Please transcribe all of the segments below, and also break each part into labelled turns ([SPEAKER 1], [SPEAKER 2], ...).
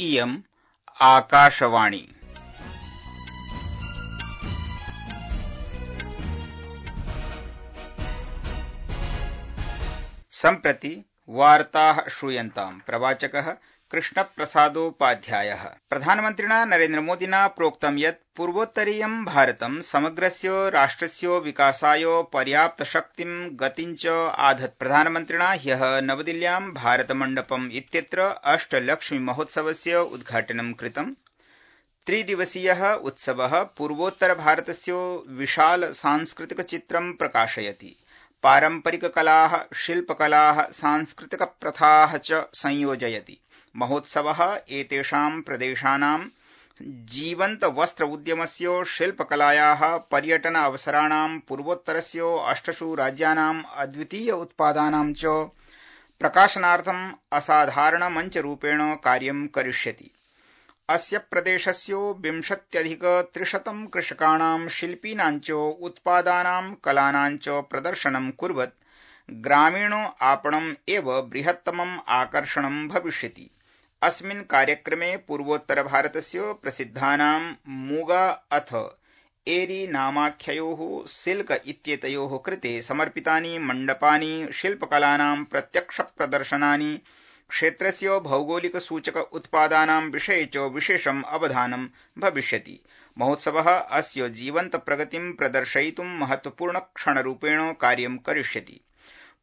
[SPEAKER 1] इयम् आकाशवाणी। सम्प्रति वार्ताः श्रूयन्ताम्। प्रवाचकः कृष्णप्रसादोपाध्यायः। प्रधानमन्त्रिणा नरेन्द्रमोदिना प्रोक्तं यत् पूर्वोत्तरीयं भारतं समग्रस्य राष्ट्रस्य विकासाय पर्याप्तशक्तिं गतिं च आधत्। प्रधानमन्त्रिणा ह्यः नवदिल्ल्यां भारतमण्डपम् इत्यत्र अष्टलक्ष्मीमहोत्सवस्य उद्घाटनं कृतम्। त्रिदिवसीयः उत्सवः पूर्वोत्तरभारतस्य विशाल सांस्कृतिकचित्रं प्रकाशयति। पारम्परिककलाः, शिल्पकलाः, सांस्कृतिकप्रथाः च संयोजयति। महोत्सवः एतेषां प्रदेशानां जीवन्तवस्त्र उद्यमस्य, शिल्पकलायाः, पर्यटन अवसराणां, पूर्वोत्तरस्य 8 राज्यानाम् अद्वितीय उत्पादानां च प्रकाशनार्थम् असाधारणमञ्चरूपेण कार्यं करिष्यति। अस्य प्रदेशस्य 20,300 कृषकाणां, शिल्पिनां च उत्पादानां, कलानां च प्रदर्शनं कुर्वत् ग्रामीण आपणम् एव बृहत्तमम् आकर्षणं भविष्यति। अस्मिन् कार्यक्रमे पूर्वोत्तरभारतस्य प्रसिद्धानां मूगा अथ एरी नामाख्ययोः सिल्क इत्येतयोः कृते समर्पितानि मण्डपानि, शिल्पकलानां प्रत्यक्षप्रदर्शनानि, क्षेत्रस्य भौगोलिक सूचक उत्पादानां विषये च विशेषम् अवधानं भविष्यति। महोत्सवः अस्य जीवन्त प्रगतिं प्रदर्शयितुं महत्वपूर्णक्षणरूपेण कार्यं करिष्यति।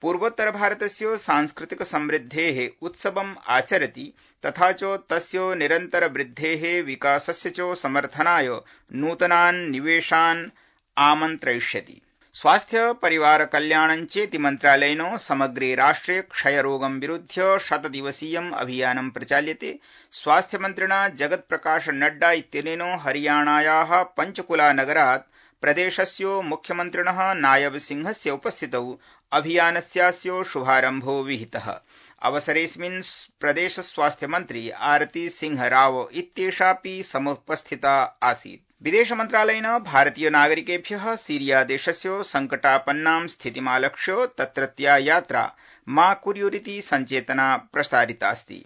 [SPEAKER 1] पूर्वोत्तरभारतस्य सांस्कृतिक समृद्धेः उत्सवम् आचरति तथा च तस्य निरन्तरवृद्धेः विकासस्य च समर्थनाय नूतनान् निवेशान् आमन्त्रयिष्यति। स्वास्थ्य परिवार कल्याणञ्चेति मन्त्रालयेन समग्रे राष्ट्रे क्षयरोगं विरुध्य 100-दिवसीयम् अभियानं प्रचाल्यते। स्वास्थ्यमन्त्रिणा जगत्प्रकाश नड्डा इत्यनेन हरियाणायाः पञ्चकुला नगरात् प्रदेशस्य मुख्यमन्त्रिणः नायब सिंहस्य उपस्थितौ अभियानस्यास्य शुभारम्भो विहितः। अवसरेऽस्मिन् प्रदेश स्वास्थ्यमन्त्री आरती सिंह राव इत्येषापि समुपस्थिता आसीत्। विदेशमन्त्रालयेन भारतीय नागरिकेभ्यः सीरिया देशस्य संकटापन्नां स्थितिमालक्ष्य तत्रत्या यात्रा मा कुर्युरिति सञ्चेतना प्रसारितास्ति।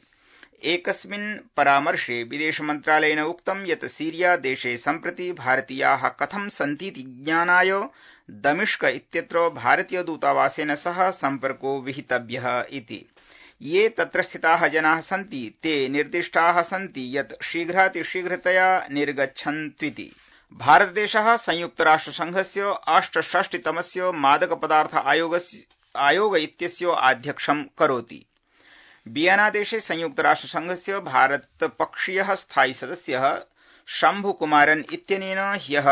[SPEAKER 1] एकस्मिन् परामर्शे विदेशमन्त्रालयेन उक्तं यत् सीरिया देशे सम्प्रति भारतीयाः कथं सन्तीति ज्ञानाय दमिश्क इत्यत्र भारतीय दूतावासेन सह सम्पर्को विहितव्यः इति। ये तत्र स्थिताः जनाः सन्ति ते निर्दिष्टाः सन्ति यत् शीघ्रातिशीघ्रतया निर्गच्छन्त्विति। भारतदेशः संयुक्तराष्ट्रसंघस्य 68तमस्य मादकपदार्थ आयोग इत्यस्य आध्यक्षं करोति। वियनादेशे संयुक्तराष्ट्रसंघस्य भारतपक्षीयः स्थायी सदस्यः शम्भुकुमारन् इत्यनेन ह्यः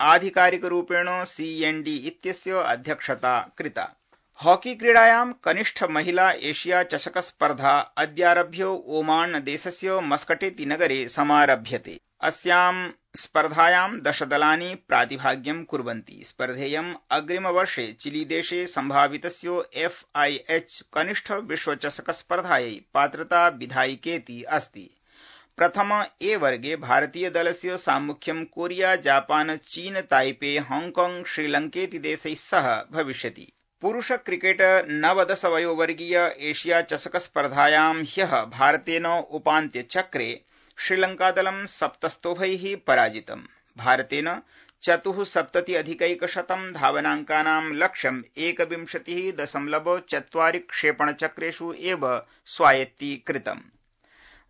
[SPEAKER 1] आधिकारिकरूपेण CND इत्यस्य अध्यक्षता कृता। हॉकी क्रीडायां कनिष्ठ महिला एशिया चषक स्पर्धा अद्यारभ्य ओमान देशस्य मस्कटेति नगरे समारभ्यते। अस्यां स्पर्धायां 10 दलानि प्रातिभाग्यं कुर्वन्ति। स्पर्धेयं अग्रिमवर्षे चिलीदेशे सम्भावितस्य FIH कनिष्ठ विश्वचषक स्पर्धायै पात्रता विधायिकेति अस्ति। प्रथम ए वर्गे भारतीय दलस्य साम्मुख्यं कोरिया, जापान, चीन, ताइपे, हांगकांग, श्रीलंकेति देशैः सह भविष्यति। पुरुष क्रिकेट 9 वयोवर्गीय एशिया चषक स्पर्धायां ह्यः भारतेन उपान्त्यचक्रे श्रीलंकादलं 7 स्तोभैः पराजितम्। भारतेन 74 धावनाङ्कानां लक्ष्यं 21.4 क्षेपणचक्रेषु एव स्वायत्तीकृतम्।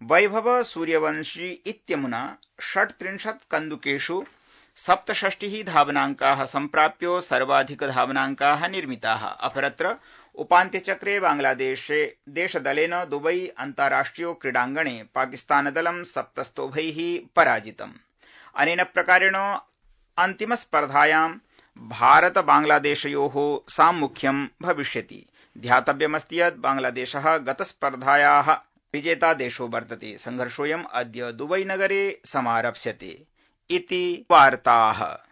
[SPEAKER 1] वैभव सूर्यवंशी इत्यमुना 36 कन्दुकेषु 67 धावनाङ्काः सम्प्राप्य सर्वाधिकधावनाङ्काः निर्मिताः। अपरत्र उपान्त्यचक्रे बांग्लादेशदलेन दुबई अन्ताराष्ट्रिय क्रीडाङ्गणे पाकिस्तानदलं 7 स्तोभैः पराजितम्। अनेन प्रकारेण अन्तिमस्पर्धायां भारत बांग्लादेशयोः साम्मुख्यं भविष्यति। ध्यातव्यमस्ति यत् बांग्लादेशः गतस्पर्धायाः विजेता देशो वर्तते। संघर्षोऽयम् अद्य दुबई नगरे समारप्स्यते इति वार्ताः।